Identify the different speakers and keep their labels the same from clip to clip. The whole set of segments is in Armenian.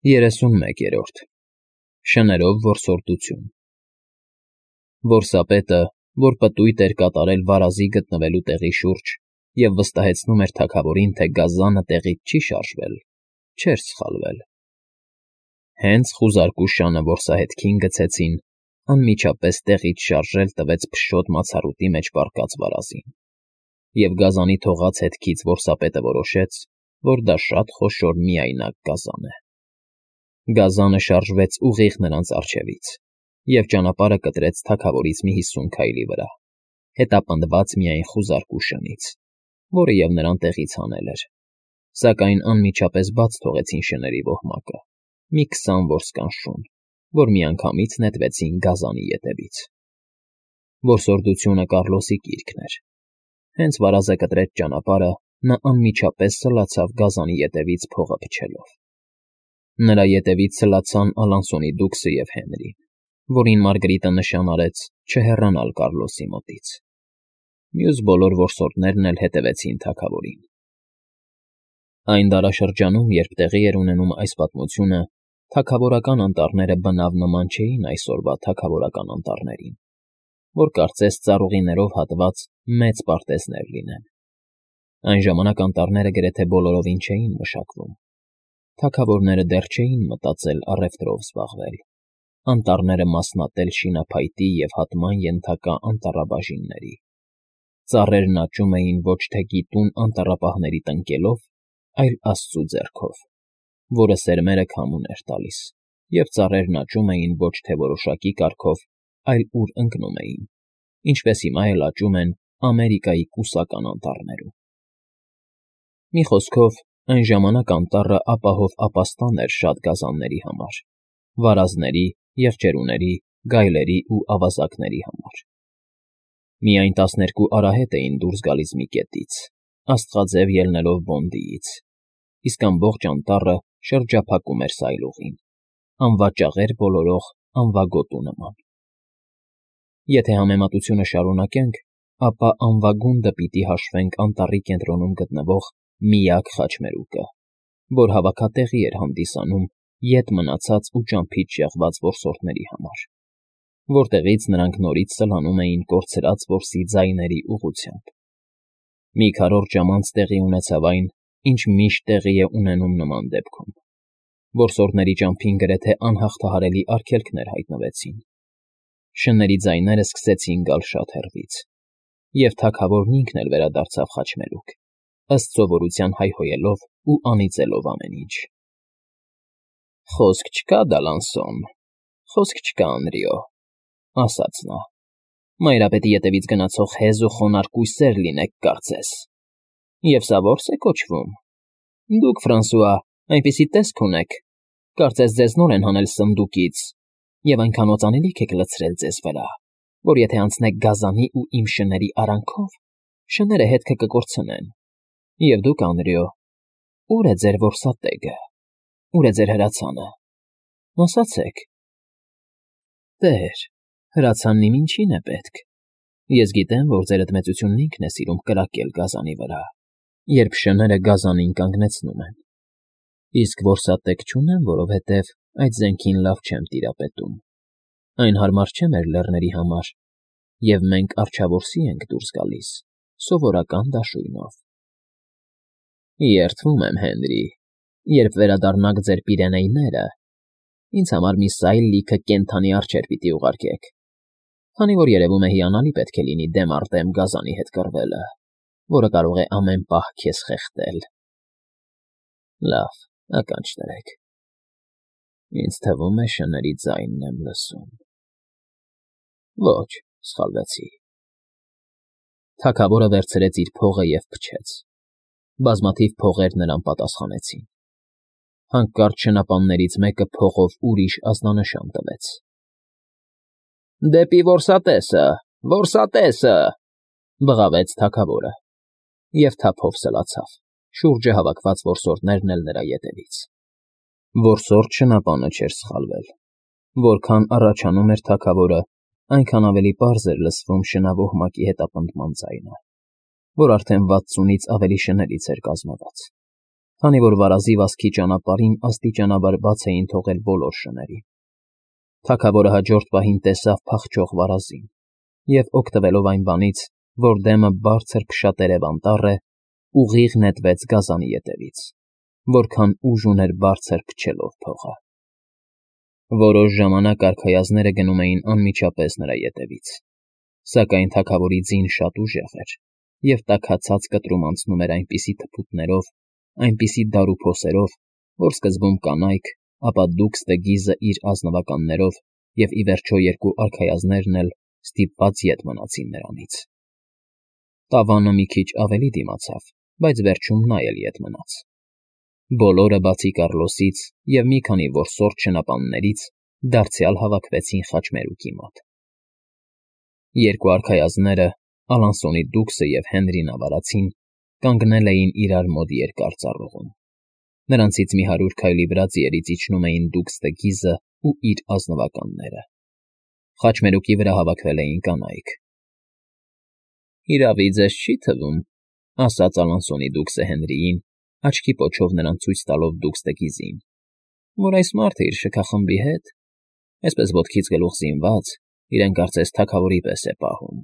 Speaker 1: 31-րդ Շներով որսորդություն Որսապետը, որ պտույտ էր կատարել վարազի գտնվելու տեղի շուրջ և վստահեցնում էր թագավորին, թե գազանը տեղից չի շարժվել, չէր սխալվել։ Հենց խուզարկու շանը որսահետքին գցեցին, անմիջապես տեղից շարժել տվեց փշոտ մացառուտի մեջ պառկած վարազին, և գազանի թողած հետքից որսապետը որոշեց, որ դա շատ խոշոր միայնակ գազան է։ Գազանը շարժվեց ուղիղ նրանց առջևից և ճանապարհը կտրեց թագավորից մի 50 քայլի վրա, հետապնդված միայն խուզարկու շնից, որը և նրան տեղից հանել էր, սակայն անմիջապես բաց թողեցին շների ոհմակը, մի 20 որսկան շուն, որ միանգամից նետվեցին գազանի ետևից։ Որսորդությունը Կառլոսի կիրքն էր։ Հենց վարազը կտրեց ճանապարհը, նա անմիջապես սլացավ գազանի ետևից փողը փչելով։ Նրա ետևից սլացան Ալանսոնի դուքսը և Հենրին, որին Մարգրիտը նշան արեց չհեռանալ Կառլոսի մոտից։ Մյուս բոլոր որսորդներն էլ հետևեցին թագավորին։ Այն դարաշրջանում, երբ տեղի էր ունենում այս պատմությունը, թագավորական անտառները բնավ նման չէին այսօրվա թագավորական անտառներին, որ կարծես ծառուղիներով հատված մեծ պարտեզներ լինեն։ Այն ժամանակ անտառները գրեթե բոլորովին չէին մշակվում։ Թագավորները դեռ չէին մտածել առևտրով զբաղվել, անտառները մասնատել շինափայտի և հատման ենթակա անտառաբաժինների։ Ծառերն աճում էին ոչ թե գիտուն անտառապահների տնկելով, այլ աստծու ձեռքով, որը սերմերը քամուն էր տալիս, և ծառերն աճում էին ոչ թե որոշակի կարգով, այլ ուր ընկնում էին, ինչպես հիմա էլ աճում են Ամերիկայի կուսական անտառներում։ Մի խոսքով, այն ժամանակ անտառը ապահով ապաստան էր շատ գազանների համար, վարազների, եղջերուների, գայլերի ու ավազակների համար։ Միայն 12 արահետ էին դուրս գալիս մի կետից, աստղաձև ելնելով Բոնդիից, իսկ ամբողջ անտառը շրջափակում էր սայլուղին, անվաճաղեր բոլորող անվագոտու նման։ Եթե համեմատությունը շարունակենք, ապա անվագունդը պիտի հաշվենք անտառի կենտրոնում գտնվող միակ խաչմերուկը, որ հավաքատեղի էր հանդիսանում ետ մնացած ու ճամփից շեղված որսորդների համար, որտեղից նրանք նորից սլանում էին կորցրած որսի ձայների ուղղությամբ։ Մի քառորդ ժամ անց տեղի ունեցավ այն, ինչ միշտ տեղի է ունենում նման դեպքում։ Որսորդների ճամփին գրեթե անհաղթահարելի արգելքներ հայտնվեցին։ Շների ձայները սկսեցին գալ շատ հեռվից, և թագավորն ինքն էլ վերադարձավ խաչմերուկ, ըստ սովորության հայհոյելով ու անիծելով ամեն ինչ։ «Խոսք չկա, Դալանսոն, խոսք չկա, Անրիո», ասաց նա։ «Մայրապետի ետևից գնացող հեզ ու խոնարհ կույսեր լինեք, կարծես։ Եվ սա որս է կոչվում։ Դուք, Ֆրանսուଆ, այնպիսի տեսք ունեք, կարծես ձեզ նոր են հանել սնդուկից, և այնքան օծանելիք եք լցրել ձեզ վրա, որ եթե անցնեք գազանի ու իմ շների արանքով, շները հետքը կկորցնեն։ Եվ դուք, Անրիո, ո՞ւր է ձեր որսատեգը, ո՞ւր է ձեր հրացանը։ Ասացեք»։ «Տեր, հրացանն իմ ինչին է պետք։ Ես գիտեմ, որ ձեր ընդմեծությունն ինքն է սիրում կրակել գազանի վրա, երբ շները գազանին կանգնեցնում են։ Իսկ որսատեգ չունեմ, որովհետև այդ զենքին լավ չեմ տիրապետում։ Այն հարմար չէ մեր լեռների համար, և մենք առջավորսի ենք դուրս գալիս, սովորական դաշույնով»։ «Երդվում եմ, Հենրի, երբ վերադառնաք ձեր Պիրենեյները, ինձ համար մի սայլ լիքը կենդանի արջեր պիտի ուղարկեք, քանի որ երևում է հիանալի պետք է լինի դեմ առ դեմ գազանի հետ կռվելը, որը կարող է ամեն պահ քեզ խեղդել։ Լավ, ականջ դրեք։ Ինձ թվում է շների ձայնն եմ լսում։ Ոչ, սխալվեցի»։ Թագավորը վերցրեց իր փողը և փչեց։ Բազմաթիվ փողեր նրան պատասխանեցին։ Հանկարծ շնապաններից մեկը փողով ուրիշ ազդանշան տվեց։ «Դեպի որսատեսը, որսատեսը», բղավեց թագավորը, և թափով սլացավ, շուրջը հավաքված որսորդներն էլ նրա ետևից։ Որսորդ շնապանը չէր սխալվել։ Որքան առաջանում էր թագավորը, այնքան ավելի պարզ էր լսվում շնավոհմակի հետապնդման ձայնը, որ արդեն 60-ից ավելի շներից էր կազմված։ Քանի որ վարազի վազքի ճանապարհին աստիճանաբար բաց էին թողել բոլոր շներին։ Թագավորը հաջորդ պահին տեսավ փախչող վարազին և, օգտվելով այն բանից, որ դեմը բարձր փշատերև անտառ է, ուղիղ նետվեց գազանի ետևից, որքան ուժ ուներ բարձր փչելով փողը։ Որոշ ժամանակ արքայազները գնում էին անմիջապես նրա ետևից, սակայն թագավորի ձին շատ ուժեղ էր, և տաքացած կտրում անցնում էր այնպիսի թփուտներով, այնպիսի դարուփոսերով, որ սկզբում կանայք, ապա Դուքստը իր ազնվականներով և, ի վերջո, երկու արքայազներն էլ ստիպված ետ մնացին նրանից։ Տավանը մի քիչ ավելի դիմացավ, բայց վերջում նա էլ ետ մնաց։ Բոլորը, բացի Կառլոսից և մի քանի որսորդ շնապաններից, դարձյալ հավաքվեցին խաչմերուկի մոտ։ Երկու արքայազները, Ալանսոնի Դուքսը և Հենրին Ավարացին, կանգնել էին իրար մոտ երկար ծառուղում։ Նրանցից մի 100 քայլի վրա ձիերից իջնում էին Դուքստը ու իր ազնվականները։ Խաչմերուկի վրա հավաքվել էին կանայք։ «Իրավի ձեզ չի թվում,֊ ասաց Ալանսոնի Դուքսը Հենրիին, աչքի պոչով նրան ցույց տալով Դուքստին,֊ որ այս մարդը իր շքախմբի հետ, այսպես ոտքից գլուխ զինված, իրեն կարծես թագավորի պես է պահում։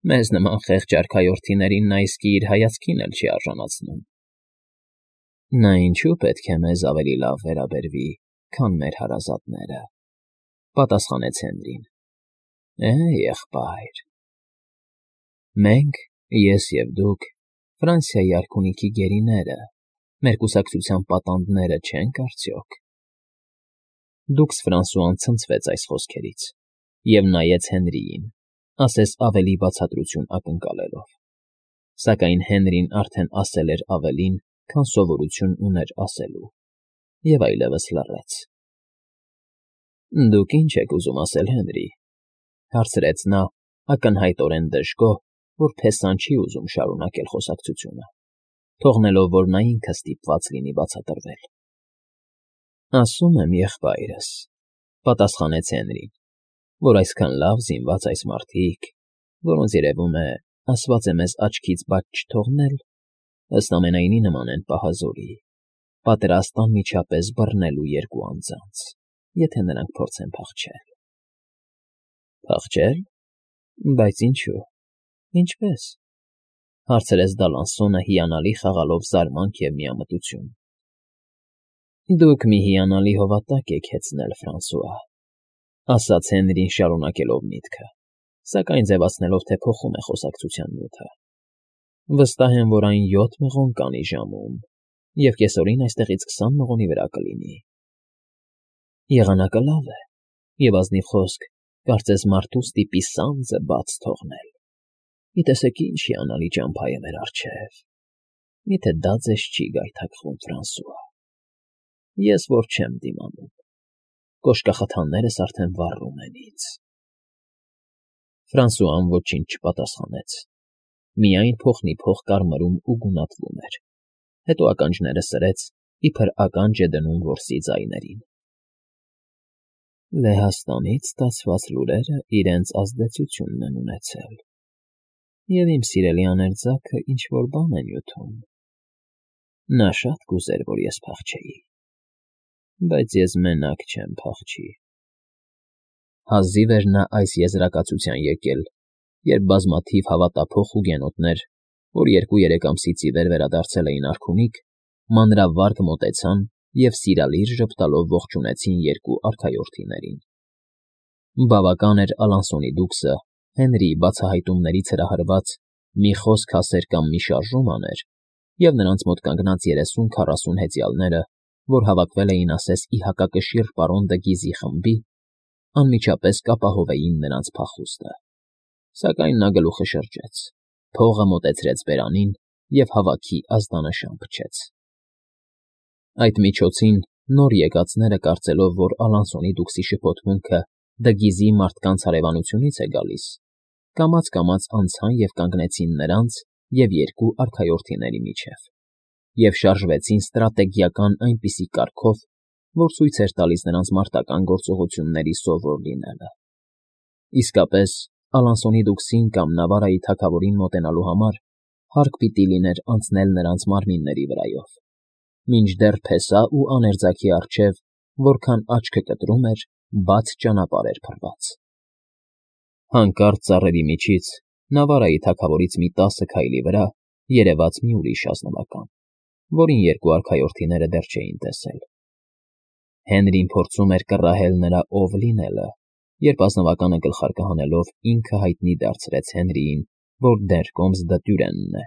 Speaker 1: Մեզ նման խեղճ արքայորդիներին նա իսկի իր հայացքին էլ չի արժանացնում»։ «Նա ինչու պետք է մեզ ավելի լավ վերաբերվի, քան մեր հարազատները,֊ պատասխանեց Հենրին։ Եղբայր, մենք, ես և դուք, Ֆրանսիայի արքունիքի գերիները, մեր կուսակցության պատանդները չենք արդյոք։ Դուքս Ֆրանսուան ցնցվեց այս խոսքերից և նայեց Հենրիին, ասես ավելի բացատրություն ակնկալելով։ Սակայն Հենրին արդեն ասել էր ավելին, քան սովորություն ուներ ասելու, և այլևս լռեց։ «Դուք ի՞նչ եք ուզում ասել, Հենրի,֊ հարցրեց նա, ակնհայտորեն դժգոհ, որ փեսան չի ուզում շարունակել խոսակցությունը, թողնելով, որ նա ինքը ստիպված լինի բացատրվել։ «Ասում եմ, եղբայրս,֊ պատասխանեց Հենրին,֊ որ այսքան լավ զինված այս մարդիկ, որոնց, երևում է, ասված է մեզ աչքից բաց չթողնել, ըստ ամենայնի նման են պահազորի, պատրաստ անմիջապես բռնելու երկու անձանց, եթե նրանք փորձեն փախչել»։ «Փախչե՞լ, բայց ինչու, ինչպե՞ս,֊ հարցրեց Դալանսոնը, հիանալի խաղալով զարմանք և միամտություն։ «Դուք մի հիանալի հովատակ եք հեծնել, Ֆրանսուଆ,֊ ասաց Հենրին, շարունակելով միտքը, սակայն ձևացնելով, թե փոխում է խոսակցության նյութը։ Վստահ եմ, որ այն 7 մղոն կանի ժամում, և կեսօրին այստեղից 20 մղոնի վրա կլինի։ Եղանակը լավ է, և, ազնիվ խոսք, կարծես մարդու ստիպի սանձը բաց թողնել։ Մի տեսեք ինչ հիանալի ճամփա է մեր առջև։ Միթե դա ձեզ չի գայթակղում, Ֆրանսուଆ։ Ես որ չեմ դիմանում, կոշկախթաններս արդեն վառում են ինձ»։ Ֆրանսուան ոչինչ չպատասխանեց, միայն փոխնիփոխ կարմրում ու գունատվում էր, հետո ականջները սրեց, իբր ականջ է դնում որսի ձայներին։ «Լեհաստանից ստացված լուրերը իրենց ազդեցությունն են ունեցել, և իմ սիրելի աներձակը ինչ֊որ բան է նյութում։ Նա շատ կուզեր, որ ես փախչեի, բայց ես մենակ չեմ փախչի»։ Հազիվ էր նա այս եզրակացության եկել, երբ բազմաթիվ հավատափոխ հուգենոտներ, որ 2-3 ամսից ի վեր վերադարձել էին արքունիք, մանրավարգ մոտեցան և սիրալիր ժպտալով ողջունեցին երկու արքայորդիներին։ Բավական էր Ալանսոնի Դուքսը Հենրիի բացահայտումներից հրահրված մի խոսք ասեր կամ մի շարժում աներ, և նրանց մոտ կանգնած 30-40 հեծյալները, որ հավաքվել էին ասես ի հակակշիռ պարոն դը Գիզի խմբի, անմիջապես կապահովեին նրանց փախուստը։ Սակայն նա գլուխը շրջեց, փողը մոտեցրեց բերանին և հավաքի ազդանշան փչեց։ Այդ միջոցին նոր եկածները, կարծելով, որ Ալանսոնի Դուքսի շփոթմունքը Դգիզի մարդկանց հարևանությունից է գալիս, կամաց֊կամաց անցան և կանգնեցին նրանց և երկու արքայորդիների միջև և շարժվեցին ստրատեգիական այնպիսի կարգով, որ ցույց էր տալիս նրանց մարտական գործողությունների սովոր լինելը։ Իսկապես, Ալանսոնի Դուքսին կամ Նավարայի թագավորին մոտենալու համար հարկ պիտի լիներ անցնել նրանց մարմինների վրայով, Մինչդեռ փեսա ու աներձակի առջև, որքան աչքը կտրում էր, բաց ճանապարհ էր փռված։ Հանկարծ ծառերի միջից, Նավարայի թագավորից մի 10 քայլի վրա, երևաց մի ուրիշ ազնվական, որին երկու արքայորդիները դեռ չէին տեսել։ Հենրին փորձում էր կռահել նրա ով լինելը, երբ ազնվականը գլխարկը հանելով ինքը հայտնի դարձրեց Հենրիին, որ Դերկոմս Դտյուրենն է,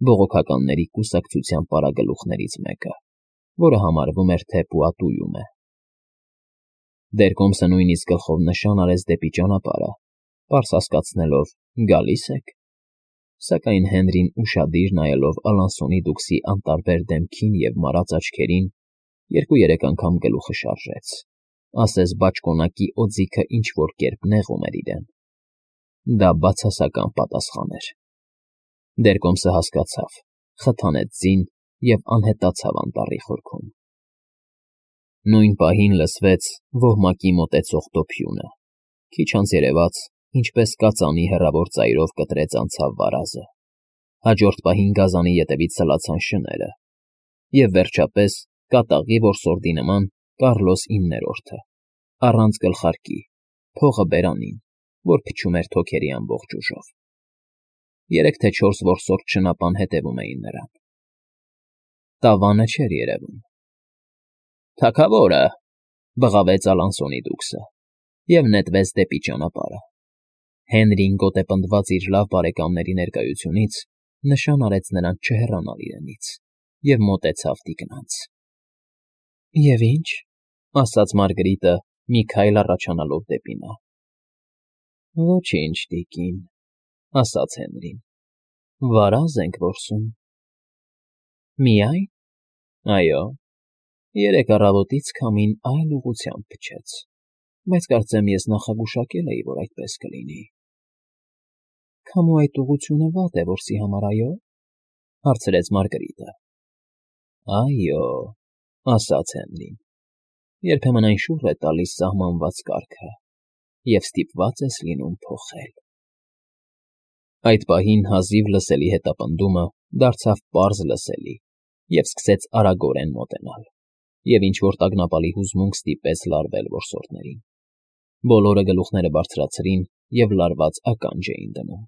Speaker 1: բողոքականների կուսակցության պարագլուխներից մեկը, որը համարվում էր, թե Պուատուում է։ Դերկոմսը նույնիսկ գլխով նշան արեց դեպի ճանապարհը, պարզ հասկացնելով գալի՞ս եք, սակայն Հենրին ուշադիր նայելով Ալանսոնի դուքսի անտարբեր դեմքին և մարած աչքերին, 2-3 անգամ գլուխը շարժեց, ասես բաճկոնակի օձիքը ինչ-որ կերպ նեղում էր իրեն։ Դա բացասական պատասխան էր։ Դերկոմսը հասկացավ, խթանեց ձին և անհետացավ անտառի խորքում։ Նույն պահին լսվեց ոհմակի մոտեցող դոփյունը, քիչ անց երևաց, ինչպես կածանի հեռավոր ծայրով կտրեց անցավ վարազը, հաջորդ պահին գազանի ետևից սլացան շները, և վերջապես կատաղի որսորդի նման Կառլոս 9-րդը, առանց գլխարկի, փողը բերանին, որ փչում էր թոքերի ամբողջ ուժով։ 3 թե 4 որսորդ շնապան հետևում էին նրան։ Տավանը չէր երևում։ «Թագավորը», բղավեց Ալանսոնի դուքսը և նետվեց դեպի ճանապարհը։ Հենրին գոտեպնդված իր լավ բարեկամների ներկայությունից նշան արեց նրան չհեռանալ իրենից և մոտեցավ տիկնանց։ «Եվ ի՞նչ», ասաց Մարգրիտը, մի քայլ առաջանալով դեպի նա։ «Ոչինչ, տիկին», ասաց Հենրին, վարազ ենք որսում։ «Միայն»։ «Այո, 3 առավոտից քամին այլ ուղղությամբ փչեց, բայց կարծեմ ես նախագուշակել էի, որ այդպես կլինի»։ «Քամու այդ ուղղությունը վատ է որսի համար, այո՞, հարցրեց Մարգրիտը։ «Այո», ասաց Հենրին, երբեմն այն շուռ է տալիս սահմանված կարգը, և ստիպված ես լինում փոխել»։ Այդ պահին հազիվ լսելի հետապնդումը դարձավ պարզ լսելի և սկսեց արագորեն մոտենալ, և ինչ֊որ տագնապալի հուզմունք ստիպեց լարվել որսորդներին։ Բոլորը գլուխները բարձրացրին և լարված ականջ էին դնում։